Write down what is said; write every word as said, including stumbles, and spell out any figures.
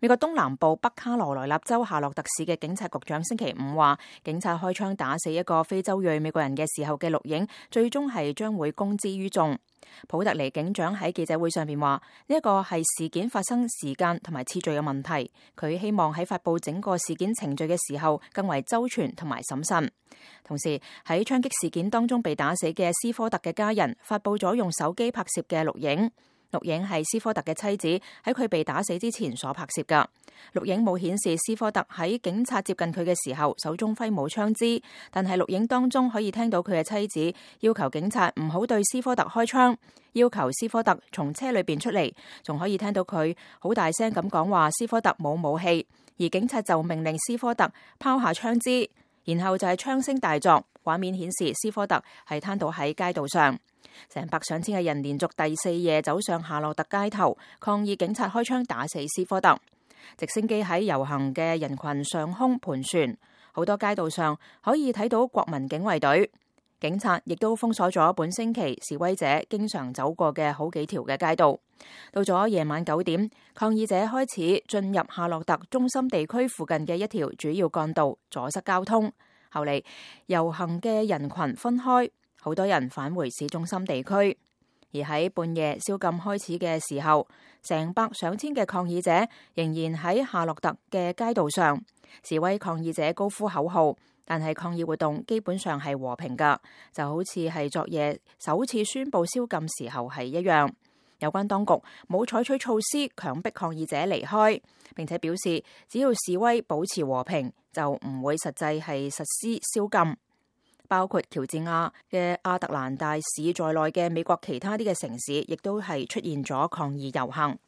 美國東南部北卡羅來納州夏洛特市嘅警察局長星期五話，警察開槍打死一個非洲裔美國人嘅時候嘅錄影，最終係將會公之於眾。普特尼警長喺記者會上邊話，呢一個係事件發生時間同埋次序嘅問題，佢希望喺發佈整個事件程序嘅時候更為周全同埋審慎。同時喺槍擊事件當中被打死嘅斯科特嘅家人發佈咗用手機拍攝嘅錄影。錄影係斯科特嘅妻子喺佢被打死之前所拍攝㗎。錄影冇顯示斯科特喺警察接近佢嘅時候手中揮舞槍支，但係錄影當中可以聽到佢嘅妻子要求警察唔好對斯科特開槍，要求斯科特從車裏邊出嚟，仲可以聽到佢好大聲咁講話斯科特冇武器，而警察就命令斯科特拋下槍支，然後就係槍聲大作，畫面顯示斯科特係攤倒喺街道上。成百上千嘅人連續第四夜走上夏洛特街頭抗議警察開槍打死斯科特。直升機喺遊行嘅人群上空盤旋，好多街道上可以睇到國民警衛隊。警察亦都封鎖咗本星期示威者經常走過嘅好幾條嘅街道。到咗夜晚九點，抗議者開始進入夏洛特中心地區附近嘅一條主要幹道，阻塞交通。後嚟遊行嘅人群分開，好多人返回市中心地區。而喺半夜宵禁開始嘅時候，成百上千嘅抗議者仍然喺夏洛特嘅街道上示威，抗議者高呼口號，但係抗議活動基本上係和平㗎，就好似係昨夜首次宣布宵禁時候係一樣。有關當局冇採取措施強迫抗議者離開，並且表示只要示威保持和平，就唔會實際係實施宵禁。包括喬治亞嘅亞特蘭大市在內嘅美國其他啲嘅城市，亦都係出現咗抗議遊行。